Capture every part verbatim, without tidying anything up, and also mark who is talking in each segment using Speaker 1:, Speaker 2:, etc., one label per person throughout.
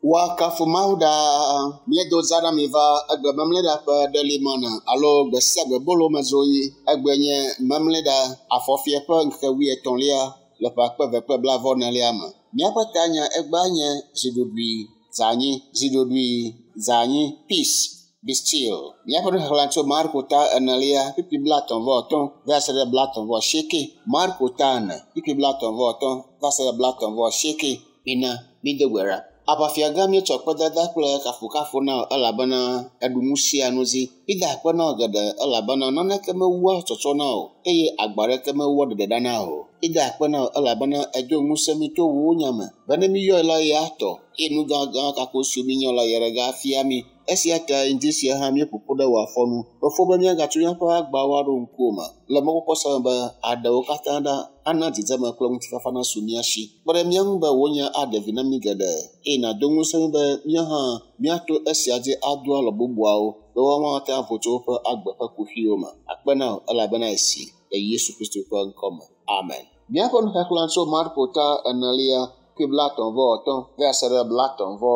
Speaker 1: Woakafu Mawu ɖaa. Míedo za ɖe mi va egbe memleɖa ƒe ɖelimɔna alo gbe sia gbe bolo me zoyi. Egbe nye memleɖa afɔfia ƒe ŋkeke wuietɔ̃lia le ƒe akpe eve kple blaeve enelia me. Míaƒe tanya egbea nye ziɖoɖui zanyi, ziɖoɖui zanyi, peace be still. Míaƒe nuxexlẽ tso Marko ta enelia kpukpui blaetɔ̃ vɔ atɔ̃ va se ɖe blaetɔ̃ vɔ asieke. Marko ta ene kpukpui blaetɔ̃ vɔ atɔ̃ va se ɖe blaetɔ̃ vɔ asieke. Mina mído gbe ɖa. Aʋafia gã míetsɔ kpedada kple kafukafu na wò elabena eɖu nu sia nu dzi. Mída akpe na wò geɖe elabena naneke mewua tsɔtsɔ na wò eye agba ɖeke mewua ɖeɖe na wò. Mída akpe na wò elabena edo ŋusẽ mí to wò nya me be ne míyɔe la ya atɔ eye nu gãgã kako siwo míenya la ya ɖe afia mí. Esia ta ŋdi sia hã míeƒo ƒu ɖe wò afɔnu. Fofo be míagatso míaƒe agbawo aɖo ŋkuwò me le mɔkpɔkpɔ sia me be aɖewo katã ɖa ana dzidzeme kple ŋutifafa nasu mía si. Kpe ɖe mía ŋu be wò nya aɖe vi na mí geɖe eye nàdo ŋusẽ mí be míawo hã míato esia dzi ado alɔ bubuawo be woawo hã ate avo tso woƒe agbe ƒe kuxiwo me. Akpe na wò elabena esi le Yesu Kristo ƒe ŋkɔ me. Amen. Míaƒe nuxexlẽ tso Marko ta enelia kpukpui blaetɔ̃ vɔ atɔ̃ va se ɖe blaetɔ̃ vɔ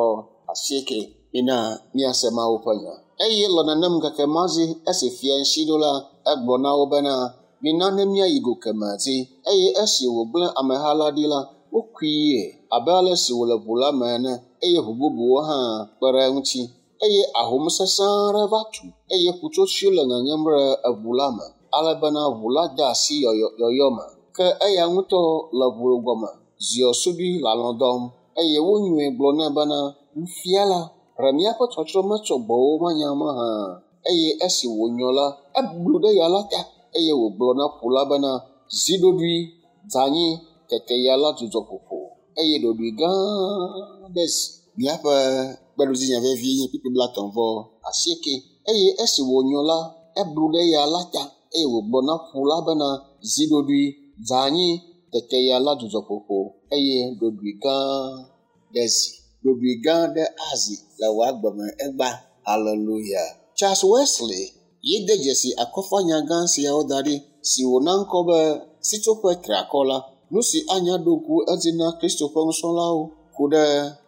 Speaker 1: asieke. Mina míase Mawu ƒe nya. Eye le nenem ŋkeke ma dzi esi fia ŋuti ɖo la, egblɔ na wo bena, mina ne míayi go kemɛ dzi. Eye esi wògblẽ ameha la ɖi la, wokui abe ale si wòle ʋu la me ene eye ʋu bubuwo hã kpe ɖe eŋuti. Eye ahom sesẽ aɖe va tu eye ƒutsotsoe le ŋeŋem ɖe eʋu la me ale bena ʋu la de asi yɔyɔ me. Ke eya ŋutɔ le ʋu gɔme ziɔ suɖui le alɔ̃ dɔm eye wonyɔe gblɔ nɛ bena, Nufiala, ɖe míaƒe tsɔtsrɔ̃ metsɔ gbɔwò manya mahã? Eye esi wònyɔ la, eblu ɖe ya la ta eye wògblɔ na ƒu la bena, zi ɖoɖoe, dze anyi. Tete ya la dzudzɔ ƒoƒo eye ɖoɖoe gã aɖe zi. Míaƒe kpeɖodzinya vevi nye kpukpui blaetɔ̃ vɔ asieke. Eye esi wònyɔ la, eblu ɖe ya la ta eye wògblɔ na ƒu la bena, zi ɖoɖoe, dze anyi. Tete ya la dzudzɔ ƒoƒo eye ɖoɖoe gã ɖe zi. Ɖoɖoe gã ɖe azi le wò agbe me egba. Hallelujah. Charles Wesley ye de dzesi akɔfanya gã siawo da ɖi si wòna ŋkɔ be sitsoƒe triakɔ la. Nu si anya ɖo ŋku edzi na Kristo ƒe nusrɔ̃lawo ku ɖe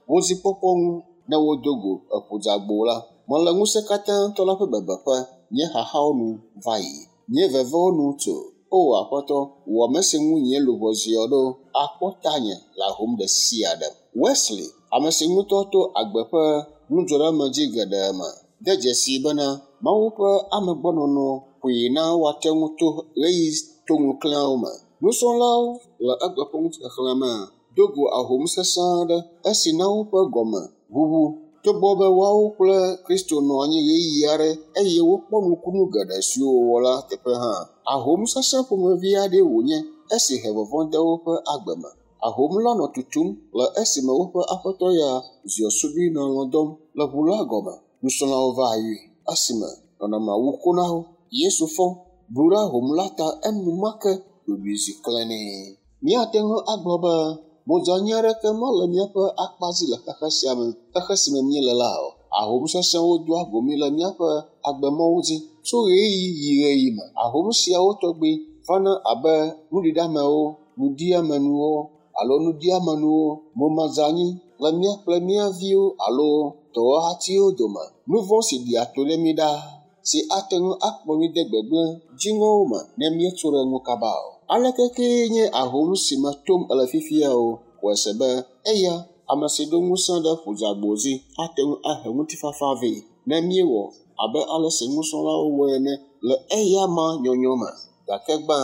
Speaker 1: wo dzikpɔkpɔ ŋu ne wodo go eƒu dzeagbo la. Mele ŋusẽ katã tɔ la ƒe bebeƒe, nye xaxawo nu va yi, nye vevewo nu tso. O Aƒetɔ, wò ame si ŋu nye luʋɔ ziɔ ɖo, akpɔ tanye le ahom ɖe sia ɖe. Wesley, ame si ŋutɔ to agbe ƒe nudzɔɖeamedzi geɖe me, de dzesii bena Mawu ƒe amegbɔnɔnɔ ƒoe na woate ŋu to ɣeyiɣi toŋuklẽawo me. Nusrɔ̃lawo le egbe ƒe ŋuxexlẽ me do go ahom sesẽ aɖe esi na woƒe gɔme ʋuʋu. Togbɔ be woawo kple Kristo nɔ anyi ɣeyiɣi aɖe eye wokpɔ nukunu geɖe siwo wòwɔ la teƒe hã, ahom sesẽ ƒomevi aɖee wònye esi he vɔvɔ̃ de woƒe agbe me. Ahom la nɔ tutum le esime woƒe aƒetɔ ya ziɔ suɖui nɔ alɔ̃ dɔm le ʋu la gɔme. Nusrɔ̃lawo va yɔe esime nɔnɔmea wu ko na wo. Yesu fɔ, blu ɖe ahom la ta enumake ɖoɖoe zi klẽnee. Míate ŋu agblɔ be modzanyi aɖeke mele míaƒe akpa dzi le xexe sia me, xexe si me míele la o. Ahom sesẽwo doa go mí le míaƒe agbemɔwo dzi tso ɣeyiɣi yi ɣeyiɣi me. Ahom siawo tɔgbi vana abe nuɖiɖeamewo, nuɖiamenuwo alo nuɖiamenuwo, momadzanyi le mía kple mía viwo alo dɔwɔhatiwo dome. Nu vɔ̃ si ɖia to ɖe mí ɖaa si ate ŋu akplɔ mí de gbegblẽ dziŋɔwo me ne míetso ɖe ŋu kaba o. Aleke kee nye ahom si me tom ele fifia o, xɔe se be eya, ame si ɖo ŋusẽ ɖe ƒudzagbo dzi ate ŋu ahe ŋutifafa vɛ ne míewɔ abe ale si nusrɔ̃lawo wɔe ene le eya ma nyɔnyɔ me. Gake gbã,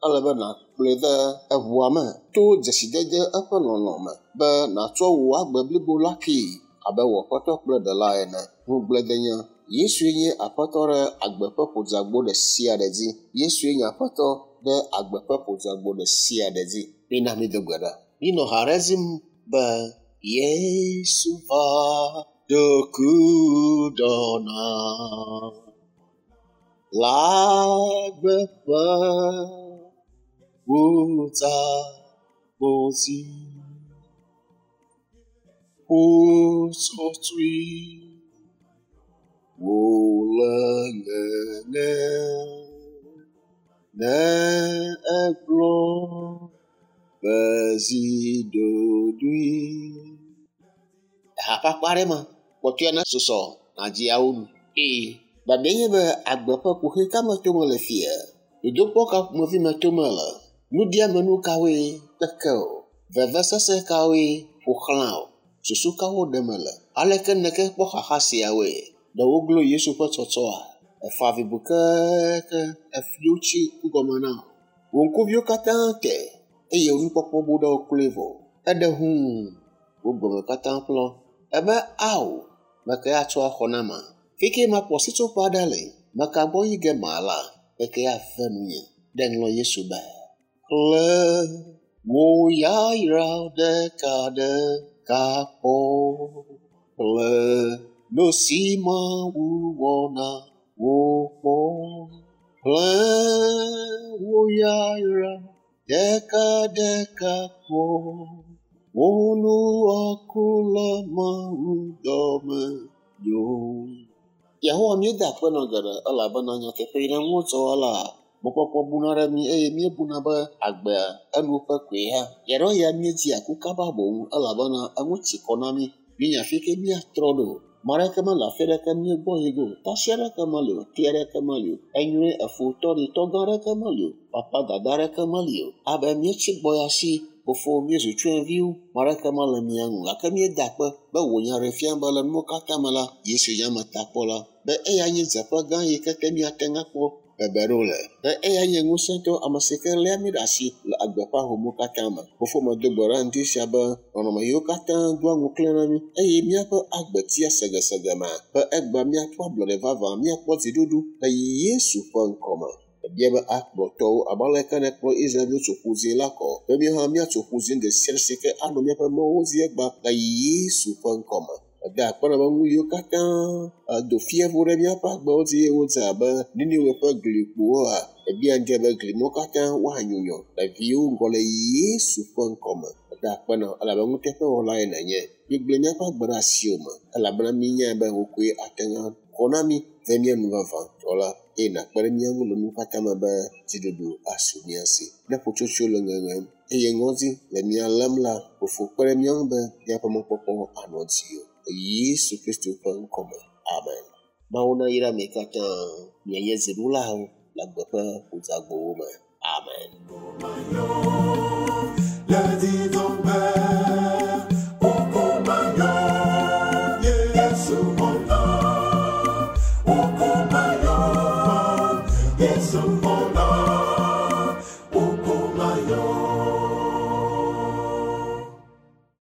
Speaker 1: ele be nàkplɔe de eʋua me to dzesidede eƒe lɔlɔ̃ me be nàtsɔ wò agbe blibo la kee abe wò Aƒetɔ kple Ɖela ene. Ŋugbledenya. Yesue nye Aƒetɔ ɖe agbe ƒe ƒudzagbo ɖe sia ɖe dzi. Yesue nye Aƒetɔ ɖe agbe ƒe ƒudzagbo ɖe sia ɖe dzi. Mina mído gbe ɖa. Mínɔ ha ɖe dzim be Yesu va do ku dɔ na le agbe ƒe ƒudzagbo dzi. Ƒutsotsoe Wòle ŋeŋe. Ne egblɔ be zi ɖoɖoe. Eha ƒe akpa ɖe ma, kpɔtɔe ne susɔ nadziawo nu. Eye biabia nye be agbe ƒe kuxi ka me tom le fia? Dodokpɔ ka ƒomevi me tom le? Nuɖiamenu kawoe keke o? Vevesese kawoe ƒo xlã o? Susu kawo ɖem le? Aleke neke kpɔ xaxa siawoe? Ɖe woglo Yesu ƒe tsɔtsɔa? Efa avi bu keeke efiwo tsi ŋgɔme na wò. Wò ŋkuviwo katã te eye wò nukpɔkpɔ bu ɖe wo kloe vɔ. Eɖe hũu wò gbɔme katã ƒlɔ. Ebe ao, meke atsɔ axɔ na ma. Fike makpɔ sitsoƒe aɖe le, meka gbɔ yi ge mala, eke ave nunye. Ɖe ŋlɔ Yesu be. Xlẽ wò yayra ɖeka ɖeka kpɔ. Xlẽ nu si Mawu wɔ na wò kpɔ. Xlẽ wò yayra ɖeka ɖeka kpɔ. Wò nu aku le Mawu dɔme nyo. Yehowa míeda akpe nɔ geɖe elabena nyateƒe yi ne ŋutsɔ la mɔkpɔkpɔ buna ɖe mí eye míebuna be agbea enu ƒe koe hã. Yaɖewo ya míedzia ku kaba boŋ elabena eŋu tsi kɔ na mí. Míenya fi ke míatrɔ ɖo. Ame aɖeke mele afi aɖeke míegbɔ yi ge o. Tasi aɖeke meli o. Te aɖeke meli o. Enyuie efo tɔ ɖi tɔgã aɖeke meli o. Papa dada aɖeke meli o. Abe míetsi gbɔ ya si fofo míezu tsyɔ̃eviwo. Ame aɖeke mele mía ŋu gake míeda akpe be wò nya ɖe fia be le nuwo katã me la, Yesu nye ametakpɔla be eya nye dzeƒe gã yi ke te míate ŋu akpɔ bebe ɖo le. Be eya nye ŋusẽtɔ ame si ke léa mí ɖe asi le agbe ƒe ahomu katã me. Fofo medo gbe ɖa ŋdi sia be nɔnɔme yiwo katã doa ŋuklẽ na mí eye míaƒe agbe tia segesege me be egbea míakpɔ ablɔɖe vavã, míakpɔ dziɖuɖu le Yesu ƒe ŋkɔme. Ebia be akplɔ tɔwo abe aleke nèkplɔ Israelviwo tso ƒu dzĩ la kɔ be míawo hã míatso ƒu dzĩ ɖe sia ɖe si ke anɔ míaƒe mɔwo dzi egbea le Yesu ƒe ŋkɔme. Eda akpe na be nu yiwo katã do fievo ɖe míaƒe agbewo dzi eye wodze abe Niniwe ƒe glikpowoa, ebia ŋdi be gli mawo katã woanyunyɔ le viwo ŋgɔ le Yesu ƒe ŋkɔme. Eda akpe na wò elabe nuteƒewɔlae nènye. Míegblẽ míaƒe agbe ɖe asiwò me elabena míenyae be wò koe ate ŋu akɔ na mí ve mía nu vavãtɔ la eye nàkpe ɖe mía ŋu le nu katã me be dziɖuɖu asu mía si. Ne ƒutsotsoe le ŋeŋem eye ŋɔdzi le mía lém la, fofo kpe ɖe mía ŋu be míaƒe mɔkpɔkpɔ anɔ dziwò. Le Yesu Kristo ƒe ŋkɔme. Amen. Mawu nayra mi katã mianye dziɖulawo le agbe ƒe ƒudzagbowo me. Amen.
Speaker 2: Le didɔgbe, wokomayo, Yesu xɔna. Wokomayo, Yesu xɔna.